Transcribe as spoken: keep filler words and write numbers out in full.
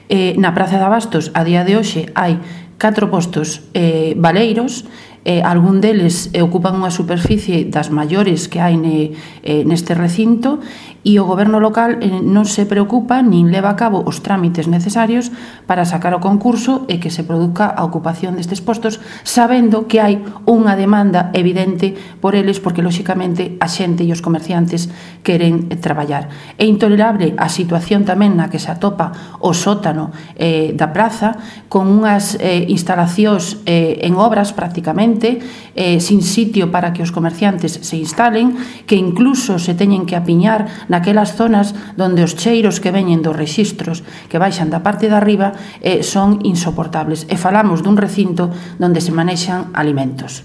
Eh, na Praza de Abastos, a día de hoxe, hai catro postos eh, baleiros, eh, algún deles eh, ocupan unha superficie das maiores que hai ne, eh, neste recinto, e o goberno local eh, non se preocupa nin leva a cabo os trámites necesarios para sacar o concurso e que se produzca a ocupación destes postos, sabendo que hai unha demanda evidente por eles, porque lóxicamente a xente e os comerciantes queren eh, traballar. É intolerable a situación tamén na que se atopa o sótano eh, da praza, con unhas eh, instalacións eh, en obras prácticamente, eh, sin sitio para que os comerciantes se instalen, que incluso se teñen que apiñar naquelas zonas donde os cheiros que veñen dos rexistros que baixan da parte de arriba eh, son insoportables. E falamos dun recinto donde se manexan alimentos.